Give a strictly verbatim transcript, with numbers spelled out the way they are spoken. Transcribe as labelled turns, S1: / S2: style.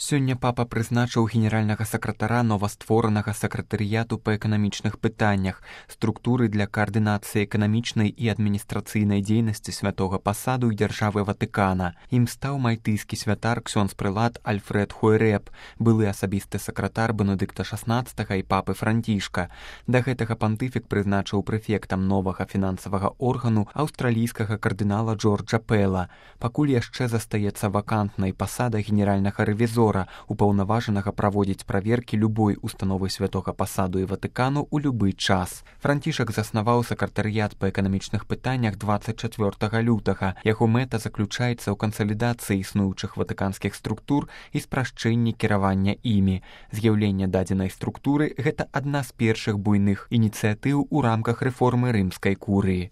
S1: Сёння папа прызначыў генеральнага сакратара новастворанага сакратарыяту па эканамічных пытаннях, структуры для каардынацыі эканамічнай і адміністрацыйнай дзейнасці святога пасаду і дзяржавы Ватыкана. Ім стаў мальтыйскі святар ксёндз-прылад Альфред Хуэрэб, былы асабісты сакратар Бенедыкта шаснаццатага і папы Францішка. Да гэтага пантыфік прызначыў прэфектам новага фінансавага органу аўстралійскага кардынала Джорджа Пэла. Пакуль яшчэ застаецца вакантнай пасада генеральнага рэвізора, упаўнаважанага праводзіць праверкі любой установы святога пасаду і Ватыкану ў любы час. Францішак заснаваў сакратарыят па эканамічных пытаннях дваццаць чацвёртага лютага. Яго мэта заключаецца ў кансалідацыі існуючых ватыканскіх структур і спрашчэнні кіравання імі. З'яўленне дадзенай структуры – гэта адна з першых буйных ініцыятыў у рамках рэформы рымскай курыі.